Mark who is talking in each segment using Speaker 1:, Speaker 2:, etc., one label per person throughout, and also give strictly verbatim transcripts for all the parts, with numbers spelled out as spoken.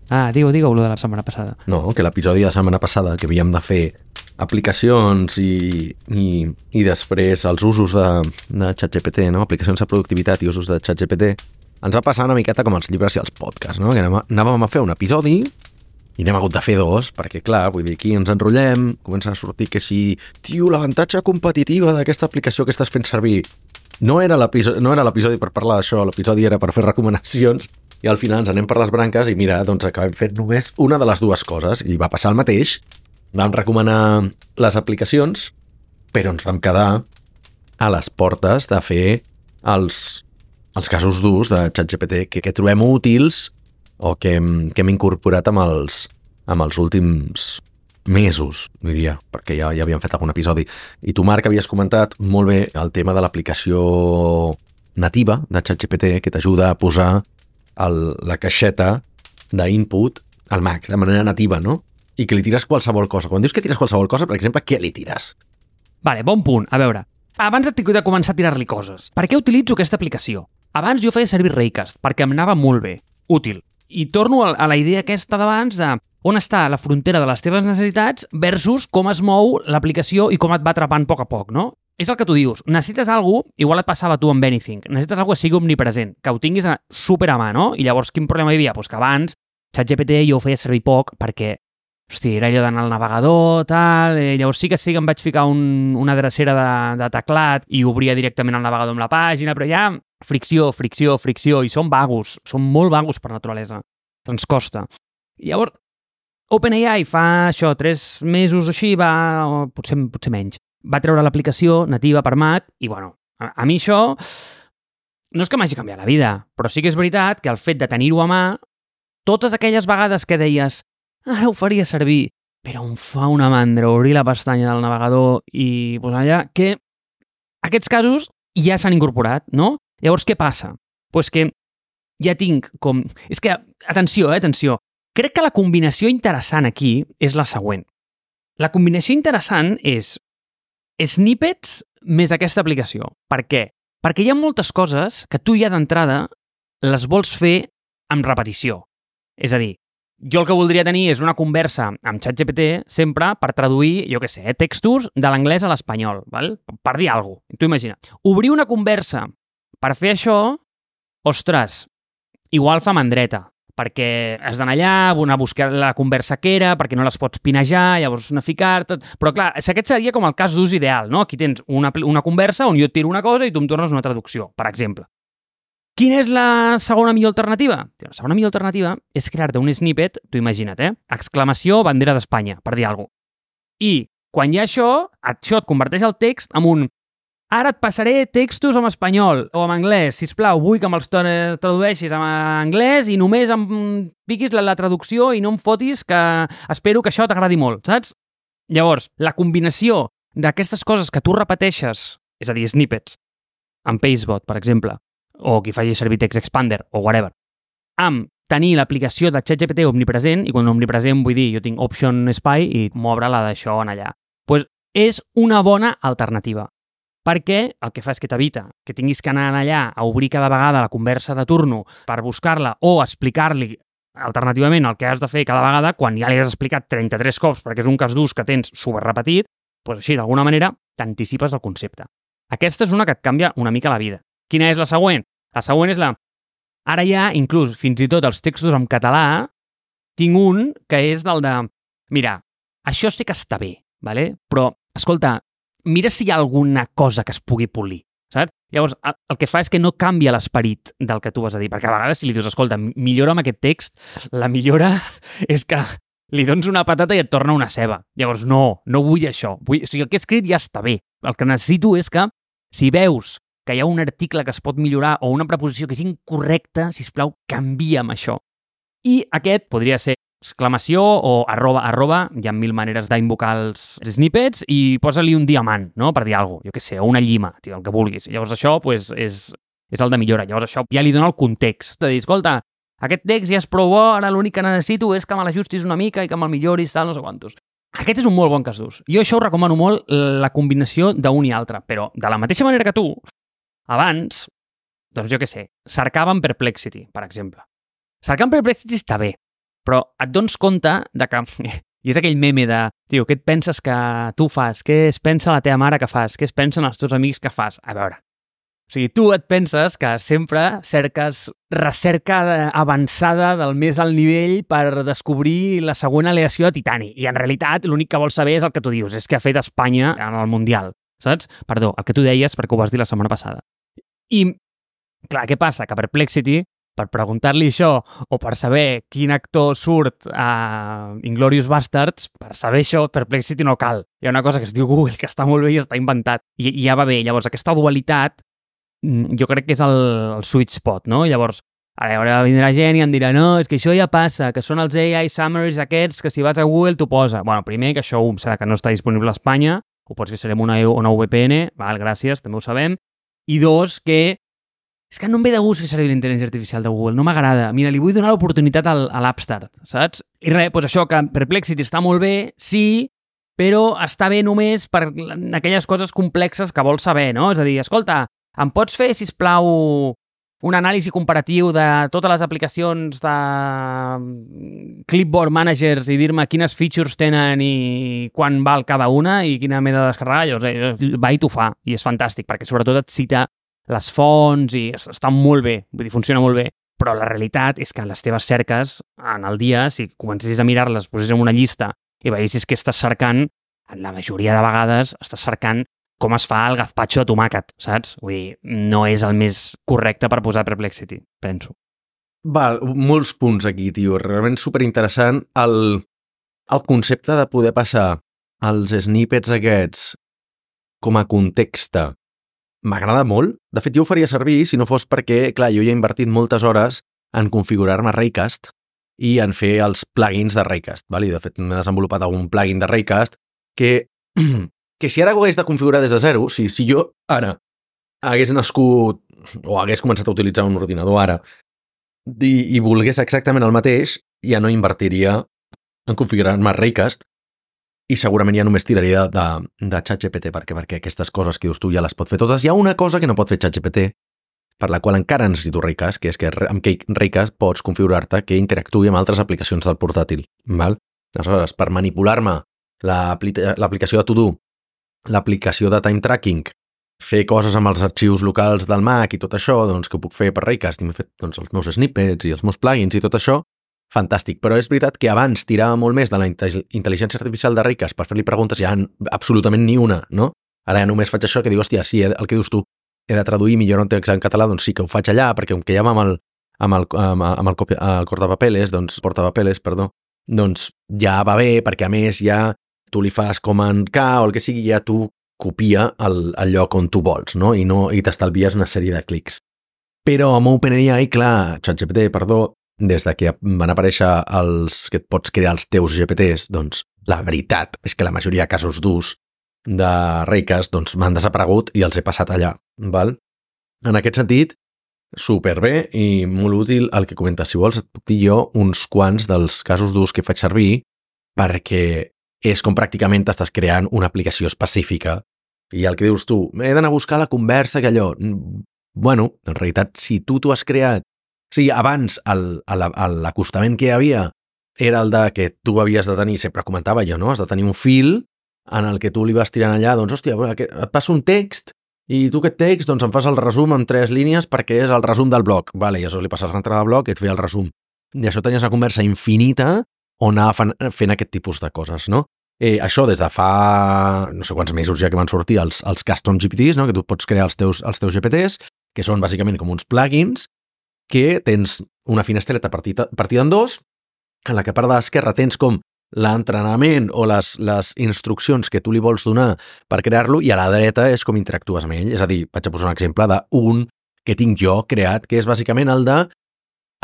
Speaker 1: Ah, digue-ho, digue-ho, lo de la setmana passada.
Speaker 2: No, que l'episodi de la setmana passada que havíem de fer aplicacions i, i, i després els usos de, de ChatGPT, no? Aplicacions de productivitat i usos de ChatGPT, ens va passar una miqueta com els llibres i els podcasts, no? Que anàvem, anàvem a fer un episodi i n'hem hagut de fer dos, perquè clar, vull dir, aquí ens enrotllem, comença a sortir que si, tio, l'avantatge competitiva d'aquesta aplicació que estàs fent servir no era l'episodi no era l'episodi per parlar d'això, l'episodi era per fer recomanacions, i al final ens anem per les branques i mira, doncs acabem fent només una de les dues coses, i va passar el mateix. Vam recomanar les aplicacions, però ens vam quedar a les portes de fer els, els casos d'ús de ChatGPT que, que trobem útils o que, que hem incorporat amb els, amb els últims mesos, diria, perquè ja, ja havíem fet algun episodi. I tu, Marc, havies comentat molt bé el tema de l'aplicació nativa de ChatGPT que t'ajuda a posar el, la caixeta d'input al Mac de manera nativa, no? I que li tires qualsevol cosa. Quan dius que tires qualsevol cosa, per exemple, què li tires?
Speaker 1: Vale, bon punt. A veure, abans de començar a tirar-li coses, per què utilitzo aquesta aplicació? Abans jo feia servir Raycast, perquè em anava molt bé, útil. I torno a la idea aquesta d'abans de on està la frontera de les teves necessitats versus com es mou l'aplicació i com et va atrapant a poc a poc, no? És el que tu dius. Necessites alguna cosa, igual et passava a tu amb Anything, necessites alguna cosa que sigui omnipresent, que ho tinguis a, super a mà, no? I llavors quin problema hi havia? Pues que abans ChatGPT jo ho feia servir poc perquè, hosti, era allò d'anar al navegador, tal, eh, llavors sí que sí que em vaig ficar un, una drecera de, de teclat i obria directament el navegador amb la pàgina, però ja fricció, fricció, fricció, i són vagos, són molt vagos per naturalesa. Ens costa. I llavors, OpenAI fa això, tres mesos o així, va, o potser, potser menys, va treure l'aplicació nativa per Mac i, bueno, a, a mi això no és que m'hagi canviat la vida, però sí que és veritat que el fet de tenir-ho a mà, totes aquelles vegades que deies ara ho faria servir, però em fa una mandra obrir la pestanya del navegador i posar allà, que aquests casos ja s'han incorporat, no? Llavors, què passa? Pues que ja tinc com... És que, atenció, eh, atenció, crec que la combinació interessant aquí és la següent. La combinació interessant és snippets més aquesta aplicació. Per què? Perquè hi ha moltes coses que tu ja d'entrada les vols fer amb repetició. És a dir, jo el que voldria tenir és una conversa amb ChatGPT sempre per traduir, jo què sé, eh, textos de l'anglès a l'espanyol, val? Per dir alguna cosa. Tu imagina. Obrir una conversa per fer això, ostres, igual fa mandreta, perquè has d'anar allà, a buscar la conversa que era, perquè no les pots pinejar, llavors anar a ficar... Tot. Però clar, aquest seria com el cas d'ús ideal, no? Aquí tens una, una conversa on jo et tiro una cosa i tu em tornes una traducció, per exemple. Quina és la segona millor alternativa? La segona millor alternativa és crear-te un snippet, tu imagina't, eh? Exclamació, bandera d'Espanya, per dir alguna cosa. I quan hi ha això, això et converteix el text en un ara et passaré textos en espanyol o en anglès, sisplau, vull que me'ls tradueixis en anglès i només em piquis la, la traducció i no em fotis, que espero que això t'agradi molt, saps? Llavors, la combinació d'aquestes coses que tu repeteixes, és a dir, snippets, amb Pacebot, per exemple, o qui faci servir Text Expander, o whatever, amb tenir l'aplicació de ChatGPT omnipresent, i quan omnipresent vull dir, jo tinc Option Spy i m'obre-la d'això en allà. Doncs és una bona alternativa. Perquè el que fa és que t'evita que tinguis que anar allà a obrir cada vegada la conversa de turno per buscar-la o explicar-li alternativament el que has de fer cada vegada quan ja li has explicat trenta-tres cops perquè és un cas d'ús que tens superrepetit, doncs així, d'alguna manera, t'anticipes el concepte. Aquesta és una que et canvia una mica la vida. Quina és la següent? La següent és la... Ara ja, inclús, fins i tot els textos en català, tinc un que és del de... Mira, això sí que està bé, ¿vale? Però, escolta, mira si hi ha alguna cosa que es pugui polir, saps? Llavors, el que fa és que no canvia l'esperit del que tu vas a dir, perquè a vegades si li dius, escolta, millora amb aquest text, la millora és que li dones una patata i et torna una ceba. Llavors, no, no vull això. Vull... O sigui, el que he escrit ja està bé. El que necessito és que, si veus que hi ha un article que es pot millorar o una preposició que és incorrecta, sisplau, canvia'm això. I aquest podria ser exclamació o arroba, arroba, hi ha mil maneres d'invocar els snippets i posa-li un diamant, no?, per dir alguna cosa, jo què sé, o una llima, tio, el que vulguis. Llavors això pues, és, és el de millora. Llavors això ja li dona el context, de dir, escolta, aquest text ja és prou bo, ara l'únic que necessito és que me l'ajustis una mica i que me'l milloris, tal, no sé quantos. Aquest és un molt bon cas d'ús. Jo això ho recomano molt, la combinació d'un i altre, però de la mateixa manera que tu, abans, doncs jo què sé, cercava en Perplexity, per exemple. Cercar en Perplexity està bé, però et dones compte de que... I és aquell meme de, tio, què et penses que tu fas? Què es pensa la teva mare que fas? Què es pensen els teus amics que fas? A veure, o sigui, tu et penses que sempre cerques recerca avançada del més alt nivell per descobrir la següent aleació de titani. I en realitat l'únic que vols saber és el que tu dius, és què ha fet Espanya en el Mundial, saps? Perdó, el que tu deies perquè ho vas dir la setmana passada. I, clar, què passa? Que Perplexity, per preguntar-li això, o per saber quin actor surt a Inglourious Basterds, per saber això, Perplexity no cal. Hi ha una cosa que es diu Google, que està molt bé i està inventat. I, i ja va bé. Llavors, aquesta dualitat, jo crec que és el, el sweet spot, no? Llavors, ara vindrà gent i em dirà, no, és que això ja passa, que són els A I summaries aquests, que si vas a Google t'ho posa. Bueno, primer, que això serà que no està disponible a Espanya, ho pots fer ser amb una, una V P N, val, gràcies, també ho sabem. I dos, que és que no em ve de gust fer servir la intel·ligència artificial de Google, no m'agrada. Mira, li vull donar l'oportunitat al, a l'Upstart, saps? I res, doncs això, que Perplexity està molt bé, sí, però està bé només per aquelles coses complexes que vols saber, no? És a dir, escolta, em pots fer, sisplau, un anàlisi comparatiu de totes les aplicacions de Clipboard Managers i dir-me quines features tenen i quan val cada una i quina m'he de descarregar? Llavors, va i t'ho fa, i és fantàstic, perquè sobretot et cita les fonts i està molt bé, vull dir, funciona molt bé, però la realitat és que les teves cerques en el dia, si comencessis a mirar-les, posessis en una llista i veiessis que estàs cercant, la majoria de vegades estàs cercant com es fa el gazpacho de tomàquet, saps? Vull dir, no és el més correcte per posar Perplexity, penso.
Speaker 2: Val, molts punts aquí, tio. Realment superinteressant el, el concepte de poder passar els snippets aquests com a context. M'agrada molt. De fet, jo ho faria servir si no fos perquè, clar, jo ja he invertit moltes hores en configurar-me Raycast i en fer els plugins de Raycast. Val? I de fet, m'he desenvolupat algun plugin de Raycast que, que si ara ho hagués de configurar des de zero, si, si jo ara hagués nascut o hagués començat a utilitzar un ordinador ara i, i volgués exactament el mateix, ja no invertiria en configurar-me Raycast i segurament ja només tiraria de, de, de ChatGPT, perquè, perquè aquestes coses que dius tu ja les pot fer totes. Hi ha una cosa que no pot fer ChatGPT, per la qual encara necessito Raycast, que és que amb Raycast pots configurar-te que interactuï amb altres aplicacions del portàtil. Val? Aleshores, per manipular-me l'aplicació de To-Do, l'aplicació de Time Tracking, fer coses amb els arxius locals del Mac i tot això, doncs que ho puc fer per Raycast, i m'he fet doncs, els meus snippets i els meus plugins i tot això, fantàstic, però és veritat que abans tirava molt més de la intel·ligència artificial de Raycast per fer-li preguntes, ja absolutament ni una, no? Ara ja només faig això que diu, hòstia, sí, el que dius tu, he de traduir millor un text en català, doncs sí que ho faig allà, perquè com que ja va amb el, amb el, amb el, amb el, copi, el cortapapeles, doncs, portapapeles, perdó, doncs ja va bé, perquè a més ja tu li fas com en K o el que sigui, ja tu copia el, el lloc on tu vols, no? I, no, i t'estalvies una sèrie de clics. Però amb OpenAI, clar, ChatGPT, perdó, des de que van aparèixer els que et pots crear els teus G P Ts, doncs la veritat és que la majoria de casos d'ús de Raycast doncs, m'han desaparegut i els he passat allà. Val? En aquest sentit, superbé i molt útil el que comentes. Si vols, et puc dir jo uns quants dels casos d'ús que faig servir perquè és com pràcticament t'estàs creant una aplicació específica i el que dius tu, he d'anar a buscar la conversa que allò... Bueno, en realitat, si tu t'ho has creat. O sigui, abans l'acostament que hi havia era el de que tu havies de tenir, sempre comentava jo, no? Has de tenir un fil en el que tu li vas tirant allà, doncs, hòstia, et passa un text i tu aquest text doncs, em fas el resum en tres línies perquè és el resum del blog. Vale, i això li passes l'entrada de blog i et feia el resum. I això tenies una conversa infinita on anava fent aquest tipus de coses, no? Eh, això des de fa no sé quants mesos ja que van sortir els, els custom G P Ts, no? Que tu pots crear els teus, els teus G P Ts, que són bàsicament com uns plugins que tens una finestreta partida, partida en dos, en la que a part de l'esquerra tens com l'entrenament o les, les instruccions que tu li vols donar per crear-lo i a la dreta és com interactues amb ell. És a dir, vaig a posar un exemple d'un que tinc jo creat, que és bàsicament el de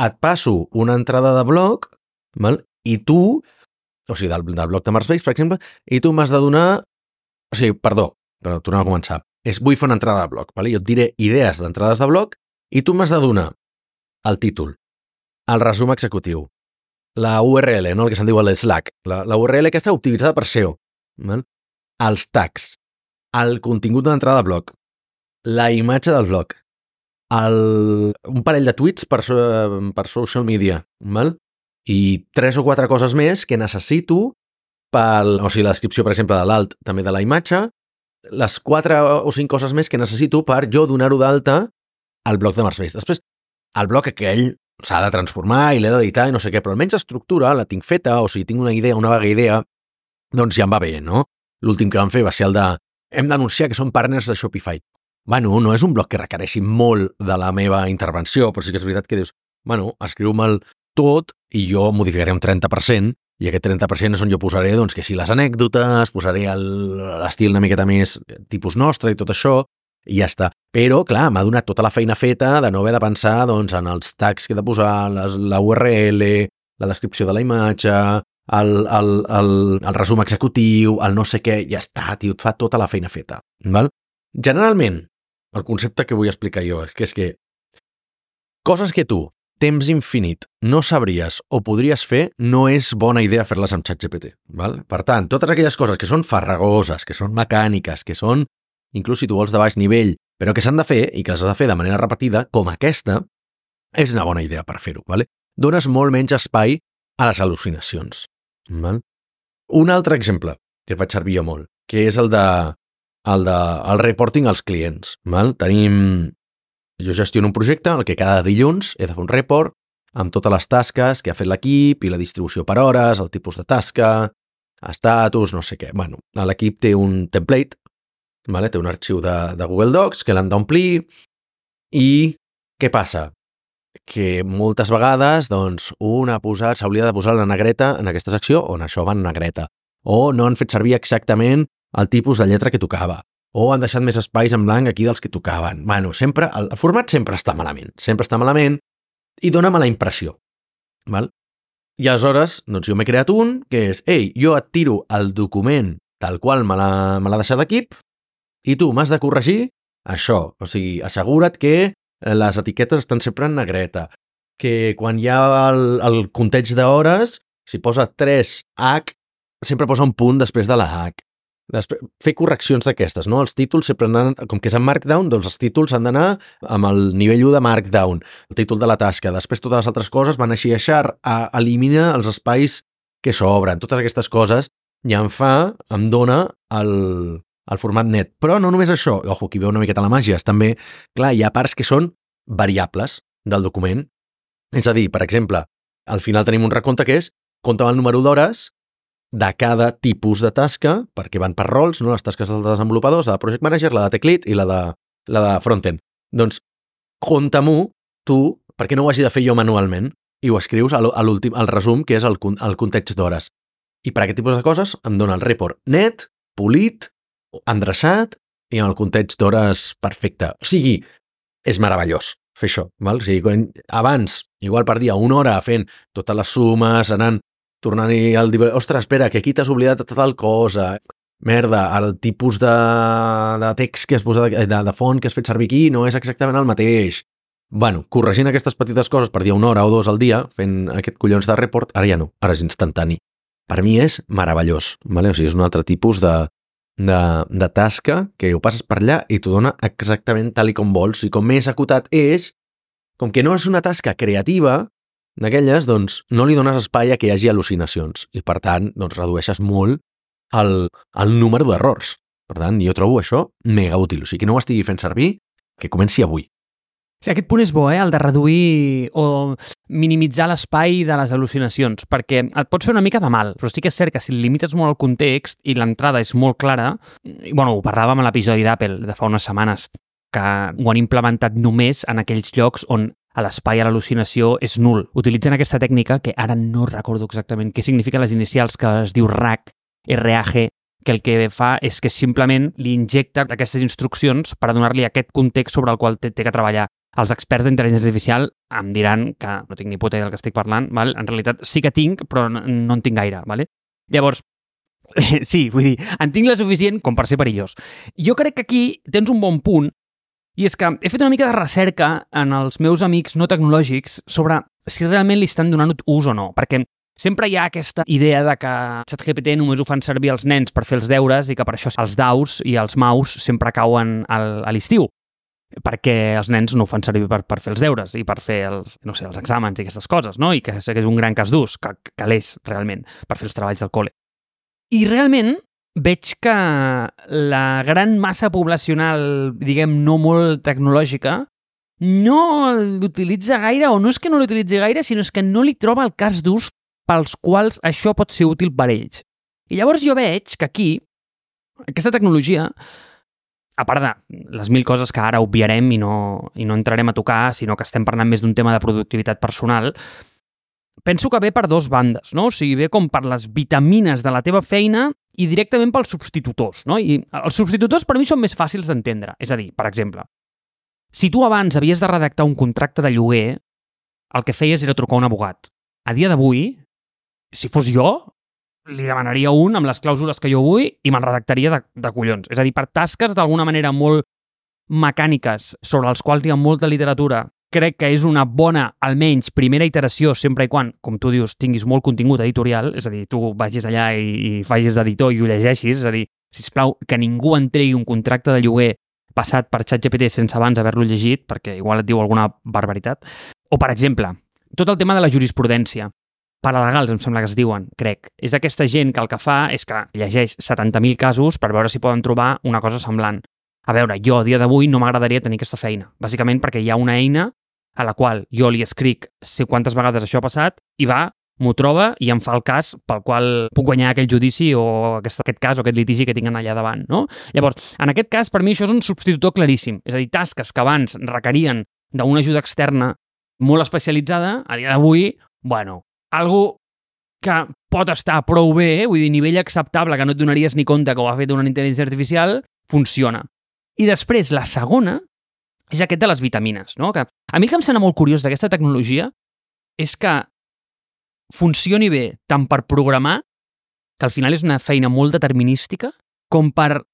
Speaker 2: et passo una entrada de blog, val? I tu, o sigui, del, del blog de Marsbase, per exemple, i tu m'has de donar... O sigui, perdó, però tornem a començar. És, vull fer una entrada de blog, val? Jo et diré idees d'entrades de blog i tu m'has de donar el títol, el resum executiu, la U R L, no? El que se'n diu el Slack, la, la U R L que està optimitzada per S E O, val? Els tags, el contingut de l'entrada de blog, la imatge del blog, el, un parell de tweets per, per social media, val? i tres o quatre coses més que necessito pel, o sigui, la descripció, per exemple, de l'alt, també de la imatge, les quatre o cinc coses més que necessito per jo donar-ho d'alta al bloc de Markspace. Després, el bloc aquell s'ha de transformar i l'he d'editar i no sé què, però almenys estructura la tinc feta, o sigui, tinc una idea, una vaga idea, doncs ja em va bé, no? L'últim que vam fer va ser el de hem d'anunciar que som partners de Shopify. Bueno, no és un bloc que requereixi molt de la meva intervenció, però sí que és veritat que dius, bueno, escriu-me'l tot i jo modificaré un trenta per cent i aquest trenta per cent és on jo posaré, doncs, que si les anècdotes, posaré l'estil una miqueta més tipus nostre i tot això, i ja està. Però, clar, m'ha donat tota la feina feta de no haver de pensar, doncs, en els tags que he de posar, les, la U R L, la descripció de la imatge, el, el, el, el resum executiu, el no sé què, ja està, tio, et fa tota la feina feta. Val? Generalment, el concepte que vull explicar jo és que és que coses que tu, temps infinit, no sabries o podries fer, no és bona idea fer-les amb ChatGPT. Val? Per tant, totes aquelles coses que són farragoses, que són mecàniques, que són, inclús si tu vols de baix nivell, però que s'han de fer i que les has de fer de manera repetida, com aquesta, és una bona idea per fer-ho. Vale? Dones molt menys espai a les al·lucinacions. Val? Un altre exemple que faig servir jo molt, que és el de el, de, el reporting als clients. Val? Tenim... Jo gestiono un projecte en el que cada dilluns he de fer un report amb totes les tasques que ha fet l'equip i la distribució per hores, el tipus de tasca, estatus, no sé què. Bueno, l'equip té un template, vale? Té un arxiu de, de Google Docs que l'han d'omplir i què passa? Que moltes vegades doncs, un ha posat, s'hauria de posar la negreta en aquesta secció on això va en negreta. O no han fet servir exactament el tipus de lletra que tocava. O han deixat més espais en blanc aquí dels que tocaven. Bueno, sempre, el format sempre està malament. Sempre està malament i dóna mala impressió. Val? I aleshores, doncs jo m'he creat un que és, ei, jo et tiro el document tal qual me l'ha deixat l'equip i tu m'has de corregir això. O sigui, assegura't que les etiquetes estan sempre en negreta, que quan hi ha el, el compteig d'hores, si posa tres hac, sempre posa un punt després de la hac. Després, fer correccions d'aquestes, no? Els títols sempre han, com que és en Markdown, doncs els títols han d'anar amb el nivell u de Markdown, el títol de la tasca. Després totes les altres coses van així a xar, a eliminar els espais que s'obren. Totes aquestes coses ja em fa, em dona el, el format net. Però no només això, ojo, aquí veu una miqueta la màgia, és també, clar, hi ha parts que són variables del document. És a dir, per exemple, al final tenim un recompte que és compta el número d'hores de cada tipus de tasca, perquè van per rols, no? Les tasques dels desenvolupadors, la de Project Manager, la de Tech Lead i la de, la de Frontend. Doncs, compta-m'ho tu, perquè no ho hagi de fer jo manualment, i ho escrius a l'últim, al resum, que és el, el context d'hores. I per aquest tipus de coses em dona el report net, polit, endreçat i amb el context d'hores perfecte. O sigui, és meravellós fer això. Val? O sigui, quan, abans, igual perdia una hora fent totes les sumes, anant tornant-hi al... Ostres, espera, que aquí t'has oblidat de tal cosa. Merda, el tipus de, de text que has posat, de, de font que has fet servir aquí no és exactament el mateix. Bueno, corregint aquestes petites coses per dir una hora o dos al dia, fent aquest collons de report, ara ja no, ara és instantani. Per mi és meravellós, vale? O sigui, és un altre tipus de, de, de tasca que ho passes per allà i t'ho dona exactament tal i com vols. I com més acotat és, com que no és una tasca creativa, d'aquelles, doncs, no li dones espai a que hi hagi al·lucinacions i, per tant, doncs, redueixes molt el, el número d'errors. Per tant, jo trobo això mega útil. O sigui, que no ho estigui fent servir, que comenci avui.
Speaker 1: Sí, aquest punt és bo, eh? El de reduir o minimitzar l'espai de les al·lucinacions, perquè et pots fer una mica de mal, però sí que és cert que si limites molt el context i l'entrada és molt clara, i, bueno, ho parlàvem a l'episodi d'Apple de fa unes setmanes, que ho han implementat només en aquells llocs on a l'espai a l'al·lucinació és nul. Utilitzen aquesta tècnica, que ara no recordo exactament què signifiquen les inicials, que es diu R A G, R A G, que el que fa és que simplement li injecta aquestes instruccions per a donar-li aquest context sobre el qual té, té que treballar. Els experts d'intel·ligència artificial em diran que no tinc ni puta idea del que estic parlant, val? En realitat sí que tinc, però no, no en tinc gaire. Vale? Llavors, sí, vull dir, en tinc la suficient com per ser perillós. Jo crec que aquí tens un bon punt, i és que he fet una mica de recerca en els meus amics no tecnològics sobre si realment li estan donant ús o no, perquè sempre hi ha aquesta idea de que ChatGPT només ho fan servir els nens per fer els deures i que per això els daus i els maus sempre cauen al, a l'estiu. perquè els nens no ho fan servir per, per fer els deures i per fer els, no sé, els exàmens i aquestes coses, no? I que, que és un gran cas d'ús, que, que l'és realment, per fer els treballs del col·le. I realment veig que la gran massa poblacional, diguem, no molt tecnològica, no l'utilitza gaire, o no és que no l'utilitzi gaire, sinó és que no li troba el cas d'ús pels quals això pot ser útil per ells. I llavors jo veig que aquí, aquesta tecnologia, a part de les mil coses que ara obviarem i no, i no entrarem a tocar, sinó que estem parlant més d'un tema de productivitat personal, penso que ve per dos bandes, no? O sigui, ve com per les vitamines de la teva feina i directament pels substitutors, no? I els substitutors per mi són més fàcils d'entendre. És a dir, per exemple, si tu abans havies de redactar un contracte de lloguer, el que feies era trucar a un abogat. A dia d'avui, si fos jo, li demanaria un amb les clàusules que jo vull i me'n redactaria de, de collons. És a dir, per tasques d'alguna manera molt mecàniques, sobre els quals hi ha molta literatura, crec que és una bona, almenys, primera iteració, sempre i quan, com tu dius, tinguis molt contingut editorial, és a dir, tu vagis allà i, i facis d'editor i ho llegeixis, és a dir, sisplau, que ningú entregui un contracte de lloguer passat per ChatGPT sense abans haver-lo llegit, perquè igual et diu alguna barbaritat. O, per exemple, tot el tema de la jurisprudència. Paralegals, em sembla que es diuen, crec. És aquesta gent que el que fa és que llegeix setanta mil casos per veure si poden trobar una cosa semblant. A veure, jo a dia d'avui no m'agradaria tenir aquesta feina, bàsicament perquè hi ha una eina a la qual jo li escric sé quantes vegades això ha passat i va, m'ho troba i em fa el cas pel qual puc guanyar aquell judici o aquest, aquest cas o aquest litigi que tinguin allà davant, no? Llavors, en aquest cas, per mi això és un substitutor claríssim. És a dir, tasques que abans requerien d'una ajuda externa molt especialitzada, a dia d'avui, bueno, algo que pot estar prou bé, vull dir, nivell acceptable, que no et donaries ni compte que ho ha fet una intel·ligència artificial, funciona. I després, la segona, és aquest de les vitamines, no? Que a mi el que em sembla molt curiós d'aquesta tecnologia és que funcioni bé tant per programar, que al final és una feina molt determinística, com per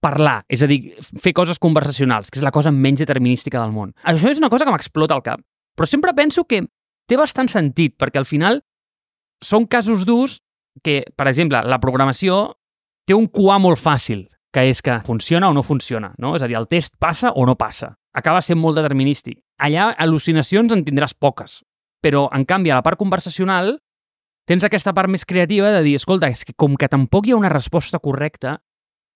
Speaker 1: parlar, és a dir, fer coses conversacionals, que és la cosa menys determinística del món. Això és una cosa que m'explota al cap, però sempre penso que té bastant sentit, perquè al final són casos d'ús que, per exemple, la programació té un Q A molt fàcil, que és que funciona o no funciona, no? És a dir, el test passa o no passa. Acaba sent molt determinístic. Allà, al·lucinacions en tindràs poques, però, en canvi, a la part conversacional tens aquesta part més creativa de dir, escolta, és que com que tampoc hi ha una resposta correcta,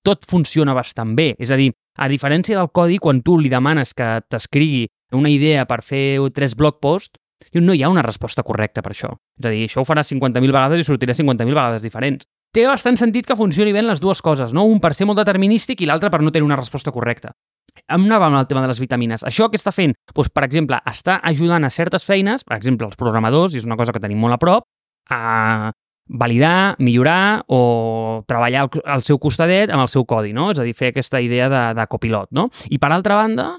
Speaker 1: tot funciona bastant bé. És a dir, a diferència del codi, quan tu li demanes que t'escrigui una idea per fer tres blog posts, no hi ha una resposta correcta per això. És a dir, això ho farà cinquanta mil vegades i sortirà cinquanta mil vegades diferents. Té bastant sentit que funcioni bé les dues coses, no? Un per ser molt determinístic i l'altre per no tenir una resposta correcta. Em anava amb el tema de les vitamines. Això que està fent, doncs, per exemple, està ajudant a certes feines, per exemple, els programadors, i és una cosa que tenim molt a prop, a validar, millorar o treballar al, al seu costadet amb el seu codi, no? És a dir, fer aquesta idea de, de copilot, no? I per altra banda,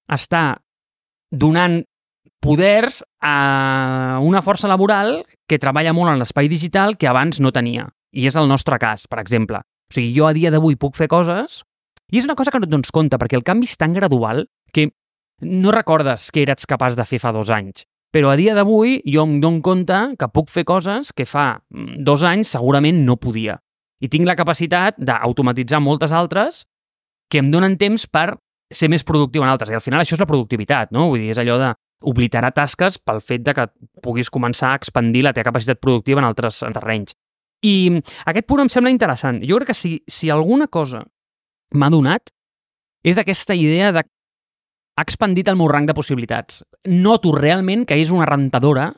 Speaker 1: està donant poders a una força laboral que treballa molt en l'espai digital que abans no tenia. I és el nostre cas, per exemple. O sigui, jo a dia d'avui puc fer coses i és una cosa que no et dones compte, perquè el canvi és tan gradual que no recordes què eres capaç de fer fa dos anys. Però a dia d'avui jo em dono compte que puc fer coses que fa dos anys segurament no podia. I tinc la capacitat d'automatitzar moltes altres que em donen temps per ser més productiu en altres. I al final això és la productivitat, no? Vull dir, és allò de obliterar tasques pel fet de que puguis començar a expandir la teva capacitat productiva en altres terrenys. I aquest punt em sembla interessant. Jo crec que si, si alguna cosa m'ha donat és aquesta idea de ha expandit el meu rang de possibilitats. Noto realment que és una rentadora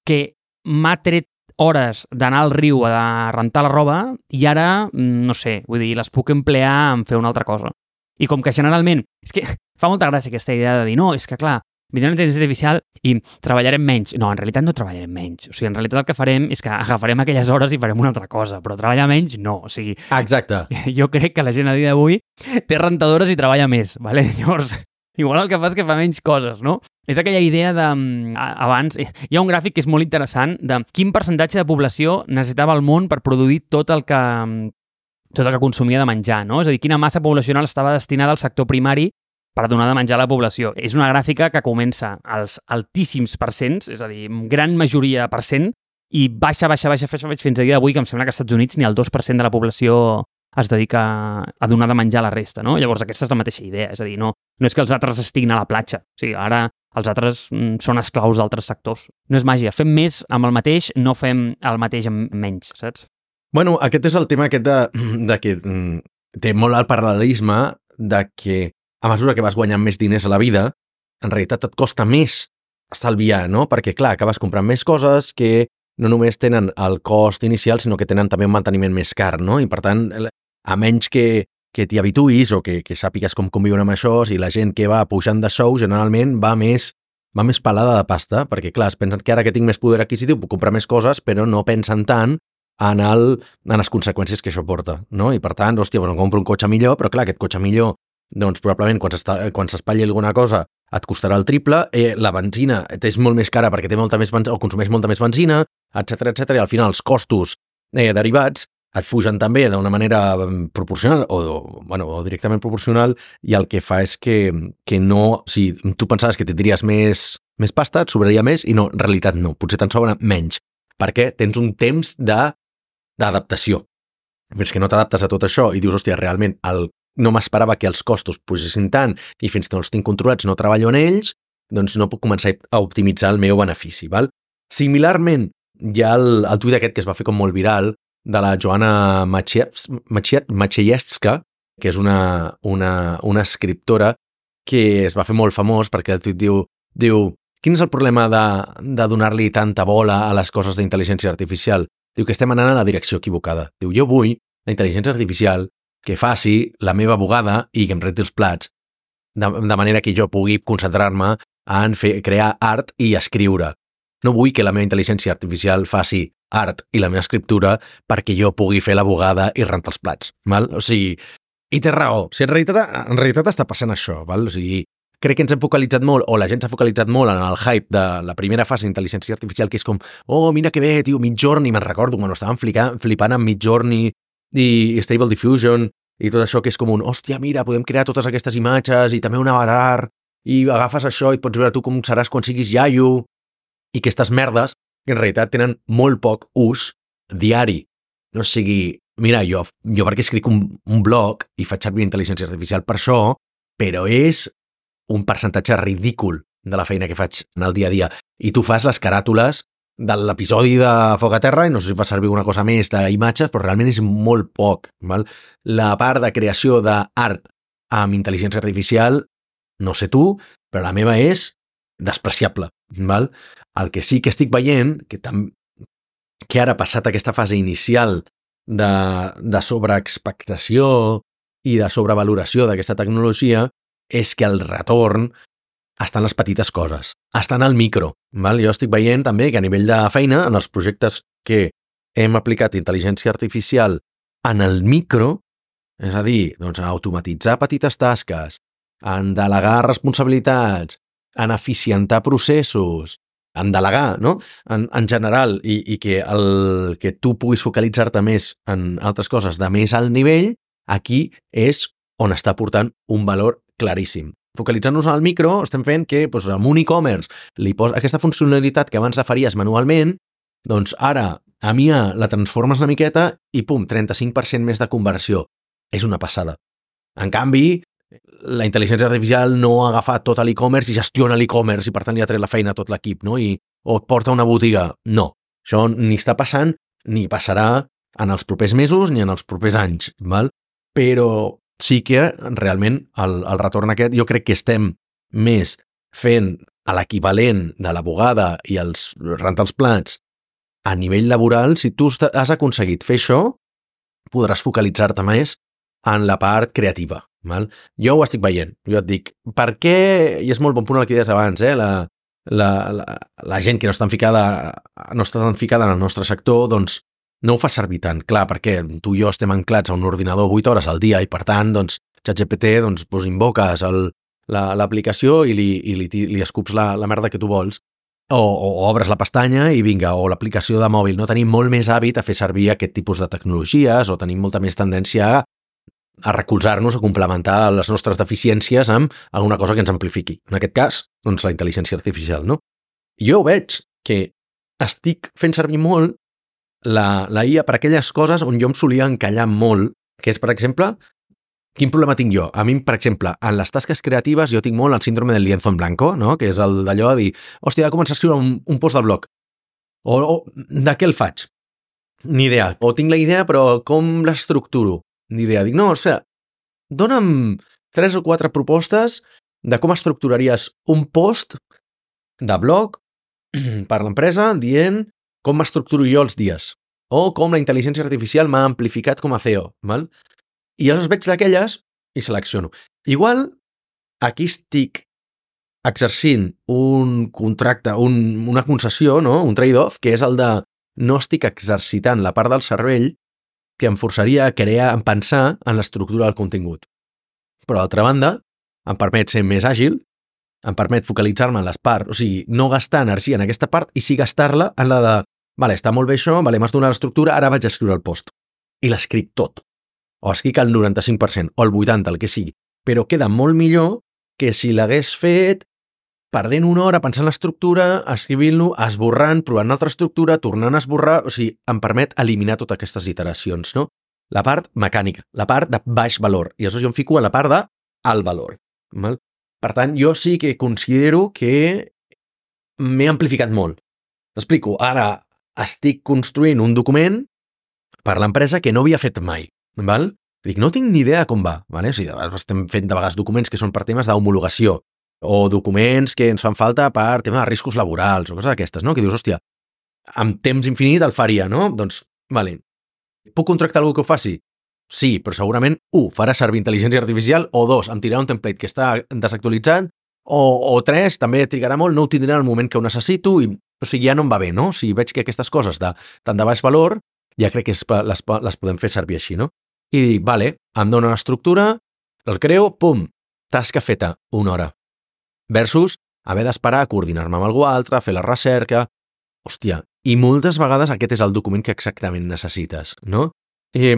Speaker 1: que m'ha tret hores d'anar al riu a rentar la roba i ara, no sé, vull dir, les puc emplear en fer una altra cosa. I com que generalment, és que fa molta gràcia aquesta idea de dir, no, és que clar, vindrà la intel·ligència artificial i treballarem menys. No, en realitat no treballarem menys. O sigui, en realitat el que farem és que agafarem aquelles hores i farem una altra cosa, però treballar menys no. O sigui,
Speaker 2: exacte.
Speaker 1: Jo crec que la gent a dia d'avui té rentadores i treballa més, ¿vale? Llavors, igual el que fa és que fa menys coses, no? És aquella idea de... Abans, hi ha un gràfic que és molt interessant de quin percentatge de població necessitava el món per produir tot el que, tot el que consumia de menjar, no? És a dir, quina massa poblacional estava destinada al sector primari per donar de menjar a la població. És una gràfica que comença als altíssims percents, és a dir, gran majoria per cent, i baixa, baixa, baixa, baixa fins a dia d'avui, que em sembla que als Estats Units ni el dos per cent de la població es dedica a donar de menjar a la resta, no? Llavors aquesta és la mateixa idea, és a dir, no, no és que els altres estiguin a la platja, o sigui, ara els altres mm, són esclaus d'altres sectors. No és màgia, fem més amb el mateix, no fem el mateix amb menys, saps?
Speaker 2: Bueno, aquest és el tema aquest de, de que mm, té molt el paral·lelisme de que a mesura que vas guanyant més diners a la vida, en realitat et costa més estalviar, no? Perquè, clar, acabes comprant més coses que no només tenen el cost inicial, sinó que tenen també un manteniment més car, no? I, per tant, a menys que, que t'hi habituïs o que, que sàpigues com conviure amb això, si la gent que va pujant de sou generalment va més, va més pelada de pasta, perquè, clar, es pensen que ara que tinc més poder adquisitiu puc comprar més coses, però no pensen tant en, el, en les conseqüències que això porta, no? I, per tant, hòstia, bueno, compro un cotxe millor, però, clar, aquest cotxe millor, doncs, probablement, quan s'espatlli alguna cosa, et costarà el triple, eh, la benzina és molt més cara perquè té molta més benzina, o consumeix molta més benzina, etcètera, etcètera, i al final els costos eh, derivats et fugen també d'una manera proporcional o, o, bueno, o directament proporcional, i el que fa és que, que no, si tu pensaves que tindries més, més pasta, et sobraria més, i no, en realitat no, potser te'n sobra menys, perquè tens un temps d'adaptació. Fins que no t'adaptes a tot això i dius, hòstia, realment el no m'esperava que els costos pugessin tant i fins que no els tinc controlats no treballo en ells, doncs no puc començar a optimitzar el meu benefici. Val? Similarment, hi ha el, el tuit aquest que es va fer com molt viral de la Joanna Maciejewska, que és una, una, una escriptora que es va fer molt famós perquè el tuit diu, diu quin és el problema de, de donar-li tanta bola a les coses d'intel·ligència artificial? Diu que estem anant a la direcció equivocada. Diu, jo vull la intel·ligència artificial que faci la meva bugada i que em renti els plats, de, de manera que jo pugui concentrar-me en fer, crear art i escriure. No vull que la meva intel·ligència artificial faci art i la meva escriptura perquè jo pugui fer la bugada i rentar els plats. Val? O sigui, i té raó. O sigui, en realitat, en realitat està passant això. Val? O sigui, crec que ens hem focalitzat molt, o la gent s'ha focalitzat molt en el hype de la primera fase d'intel·ligència artificial, que és com, oh, mira que bé, tio, Midjourney, me'n recordo, quan estaven flipant, flipant amb Midjourney i Stable Diffusion i tot això que és com un, hòstia, mira, podem crear totes aquestes imatges i també un avatar i agafes això i et pots veure tu com seràs quan siguis iaio, i aquestes merdes que en realitat tenen molt poc ús diari. No sigui, mira, jo, jo perquè escric un, un blog i faig servir intel·ligència artificial per això, però és un percentatge ridícul de la feina que faig en el dia a dia. I tu fas les caràtules de l'episodi de Foc a Terra i no sé si fa servir una cosa més d'imatges, però realment és molt poc. Val? La part de creació d'art amb intel·ligència artificial, no sé tu, però la meva és despreciable. Val? El que sí que estic veient, que, tam... que ara passat aquesta fase inicial de, de sobreexpectació i de sobrevaloració d'aquesta tecnologia, és que el retorn estan les petites coses, estan al micro. Val? Jo estic veient també que a nivell de feina, en els projectes que hem aplicat intel·ligència artificial en el micro, és a dir, doncs, en automatitzar petites tasques, en delegar responsabilitats, en eficientar processos, en delegar, no? En, en general, i, i que, el, que tu puguis focalitzar-te més en altres coses de més alt nivell, aquí és on està portant un valor claríssim. Focalitzant-nos en el micro, estem fent que doncs, amb un e-commerce li posa aquesta funcionalitat que abans la faries manualment, doncs ara a M I A la transformes una miqueta i pum, trenta-cinc per cent més de conversió. És una passada. En canvi, la intel·ligència artificial no ha agafat tot l'e-commerce i gestiona l'e-commerce i per tant li ha tret la feina a tot l'equip, no? I, o et porta a una botiga. No. Això ni està passant ni passarà en els propers mesos ni en els propers anys. Val? Però sí que realment el, el retorn aquest jo crec que estem més fent a l'equivalent de la bugada i els rentar els plats a nivell laboral. Si tu has aconseguit fer això, podràs focalitzar-te més en la part creativa. Val? Jo ho estic veient. Jo et dic, per què, i és molt bon punt el que deies abans, eh? la, la, la, la gent que no està tan ficada, no està tan ficada en el nostre sector, doncs no ho fa servir tant. Clar, perquè tu i jo estem anclats a un ordinador vuit hores al dia i, per tant, doncs, ChatGPT, doncs, doncs invoques l'aplicació i, li, i li, li escups la, la merda que tu vols. O, o, o obres la pestanya i vinga, o l'aplicació de mòbil. No tenim molt més hàbit a fer servir aquest tipus de tecnologies o tenim molta més tendència a, a recolzar-nos, a complementar les nostres deficiències amb alguna cosa que ens amplifiqui. En aquest cas, doncs, la intel·ligència artificial, no? Jo veig que estic fent servir molt la, la I A per aquelles coses on jo em solia encallar molt que és, per exemple, quin problema tinc jo? A mi, per exemple, en les tasques creatives jo tinc molt el síndrome del lienzo en blanco, no? Que és el d'allò de dir, hòstia, he de començar a escriure un, un post de blog. O, o de què el faig? Ni idea. O tinc la idea, però com l'estructuro? Ni idea. Dic, no, espera, dona'm tres o quatre propostes de com estructuraries un post de blog per l'empresa dient com m'estructuro jo els dies o com la intel·ligència artificial m'ha amplificat com a C E O. Val? I llavors veig d'aquelles i selecciono. Igual, aquí estic exercint un contracte, un, una concessió, no? Un trade-off, que és el de no estic exercitant la part del cervell que em forçaria a crear, a pensar en l'estructura del contingut. Però, d'altra banda, em permet ser més àgil, em permet focalitzar-me en les parts, o sigui, no gastar energia en aquesta part i sí gastar-la en la de, vale, està molt bé això, vale, m'has donat l'estructura, ara vaig a escriure el post. I l'escric tot. O escric el noranta-cinc per cent, o el vuitanta per cent, el que sigui. Però queda molt millor que si l'hagués fet perdent una hora pensant en l'estructura, escrivint-lo, esborrant, provant una altra estructura, tornant a esborrar, o sigui, em permet eliminar totes aquestes iteracions, no? La part mecànica, la part de baix valor. I això jo em fico a la part de alt valor. Val? Per tant, jo sí que considero que m'he amplificat molt. T'explico, ara estic construint un document per l'empresa que no havia fet mai. Val? Dic, no tinc ni idea de com va. Vale? O sigui, estem fent de vegades documents que són per temes d'homologació o documents que ens fan falta per tema de riscos laborals o coses d'aquestes, no? Que dius, hòstia, amb temps infinit el faria, no? Doncs, vale, puc contractar algú que ho faci? Sí, però segurament, un, farà servir intel·ligència artificial, o dos, em tirarà un template que està desactualitzat, o, o tres, també trigarà molt, no ho tindrà en el moment que ho necessito, i, o sigui, ja no em va bé, no? O sigui, veig que aquestes coses de tant de baix valor, ja crec que es, les, les podem fer servir així, no? I dic, vale, em dona l'estructura, el creo, pum, tasca feta, una hora. Versus haver d'esperar a coordinar-me amb algú altre, fer la recerca. Hòstia, i moltes vegades aquest és el document que exactament necessites, no? I,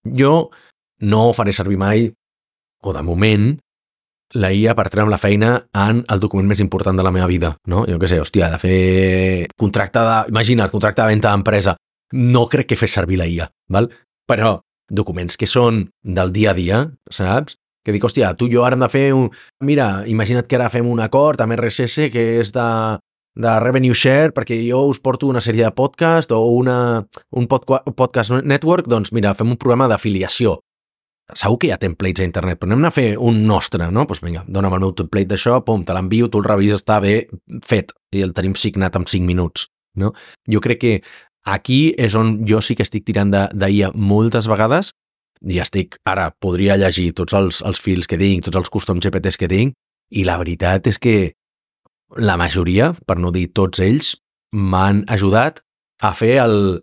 Speaker 2: jo no faré servir mai, o de moment, la I A per treure'm la feina en el document més important de la meva vida, no? Jo què sé, hòstia, de fer contracte de... Imagina't, contracte de venda d'empresa. No crec que fes servir la I A, val? Però documents que són del dia a dia, saps? Que dic, hòstia, tu i jo ara hem de fer un... Mira, imagina't que ara fem un acord amb R S S que és de, de revenue share perquè jo us porto una sèrie de podcast o una, un podca podcast network, doncs mira, fem un programa d'afiliació. Segur que hi ha templates a internet, però anem a fer un nostre, no? Doncs vinga, dona'm el meu template d'això, pum, te l'envio, tu el revises, està bé fet, i el tenim signat en cinc minuts, no? Jo crec que aquí és on jo sí que estic tirant d'I A moltes vegades i estic, ara, podria llegir tots els, els fils que tinc, tots els custom G P Ts que tinc, i la veritat és que la majoria, per no dir tots ells, m'han ajudat a fer el,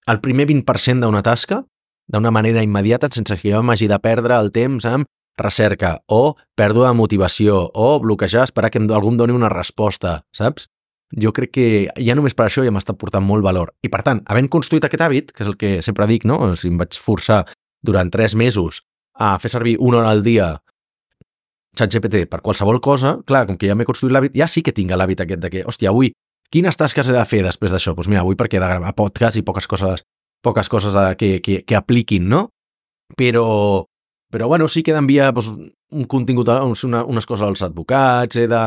Speaker 2: el primer vint per cent d'una tasca d'una manera immediata sense que jo m'hagi de perdre el temps amb recerca o pèrdua de motivació o bloquejar, esperar que algú em doni una resposta, saps? Jo crec que ja només per això ja m'està portant molt valor. I per tant, havent construït aquest hàbit, que és el que sempre dic, no? Si em vaig forçar durant tres mesos a fer servir una hora al dia ChatGPT per qualsevol cosa, clar, com que ja m'he construït l'hàbit, ja sí que tinc l'hàbit aquest de que, hòstia, avui, quines tasques he de fer després d'això? Doncs mira, avui perquè he de gravar podcast i poques coses, poques coses que, que, que apliquin, no? Però, però bueno, sí que he d'enviar doncs, un contingut, una, unes coses als advocats, he de,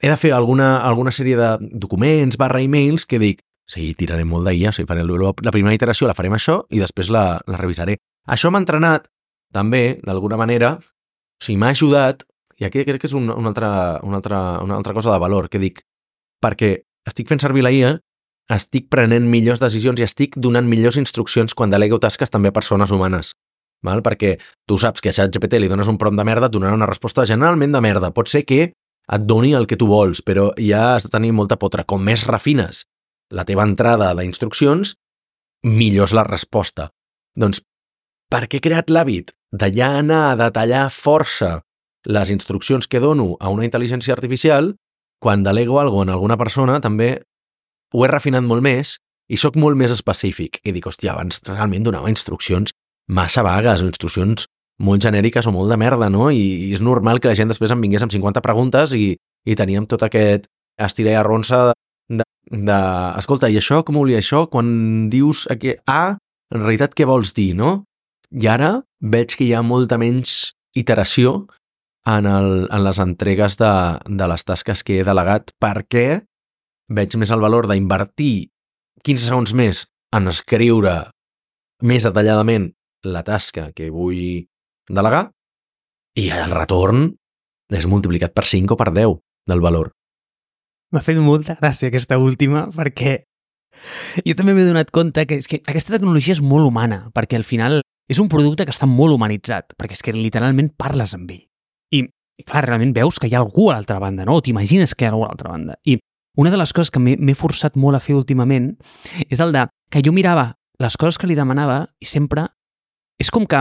Speaker 2: he de fer alguna, alguna sèrie de documents barra emails que dic, sí, tiraré molt d'I A, o sigui, faré la primera iteració la farem això i després la, la revisaré. Això m'ha entrenat, també, d'alguna manera, o sigui, m'ha ajudat, i aquí crec que és una, una, altra, una, altra, una altra cosa de valor, que dic, perquè estic fent servir la I A, estic prenent millors decisions i estic donant millors instruccions quan delego tasques també a persones humanes. Val? Perquè tu saps que a ChatGPT li dones un prompt de merda, et donarà una resposta generalment de merda. Pot ser que et doni el que tu vols, però ja has de tenir molta potra. Com més refines la teva entrada d'instruccions, millor és la resposta. Doncs, per què he creat l'hàbit de ja anar a detallar força les instruccions que dono a una intel·ligència artificial? Quan delego alguna cosa en alguna persona, també ho he refinat molt més i sóc molt més específic. I dic, hòstia, abans realment donava instruccions massa vagues o instruccions molt genèriques o molt de merda, no? I, i és normal que la gent després em vingués amb cinquanta preguntes i, i teníem tot aquest estira i arronsa de, de, escolta, i això, com ho volia això? Quan dius que A, en realitat què vols dir, no? I ara veig que hi ha molta menys iteració en, el, en les entregues de, de les tasques que he delegat, perquè veig més el valor d'invertir quinze segons més en escriure més detalladament la tasca que vull delegar i el retorn és multiplicat per cinc o per deu del valor.
Speaker 1: M'ha fet molta gràcia aquesta última perquè jo també m'he donat compte que, és que aquesta tecnologia és molt humana, perquè al final és un producte que està molt humanitzat, perquè és que literalment parles amb ell. I, i clar, realment veus que hi ha algú a l'altra banda, no? O t'imagines que hi ha algú a l'altra banda. I una de les coses que m'he forçat molt a fer últimament és el de que jo mirava les coses que li demanava i sempre és com que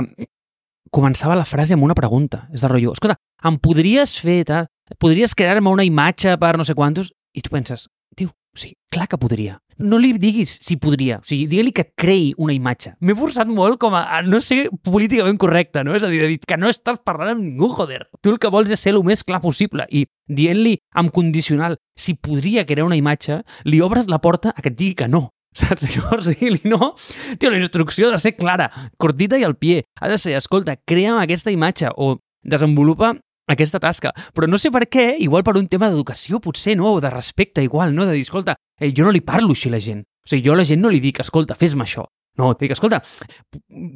Speaker 1: començava la frase amb una pregunta. És de rotllo, escolta, em podries fer, tal? Podries crear-me una imatge per no sé quantos? I tu penses, tio, o sigui, clar que podria. No li diguis si podria, o sigui, digue-li que et creï una imatge. M'he forçat molt com a, a no ser políticament correcte, no? És a dir, de dir que no estàs parlant amb ningú, joder. Tu el que vols és ser el més clar possible i dient-li amb condicional si podria crear una imatge, li obres la porta a que et digui que no. Saps? Llavors, digui-li no. Tio, la instrucció ha de ser clara, cortita i al pie. Ha de ser, escolta, crea'm aquesta imatge o desenvolupa aquesta tasca. Però no sé per què, igual per un tema d'educació, potser, no? O de respecte, igual, no? De dir, escolta, eh, jo no li parlo així a la gent. O sigui, jo a la gent no li dic, escolta, fes-me això. No, et dic, escolta,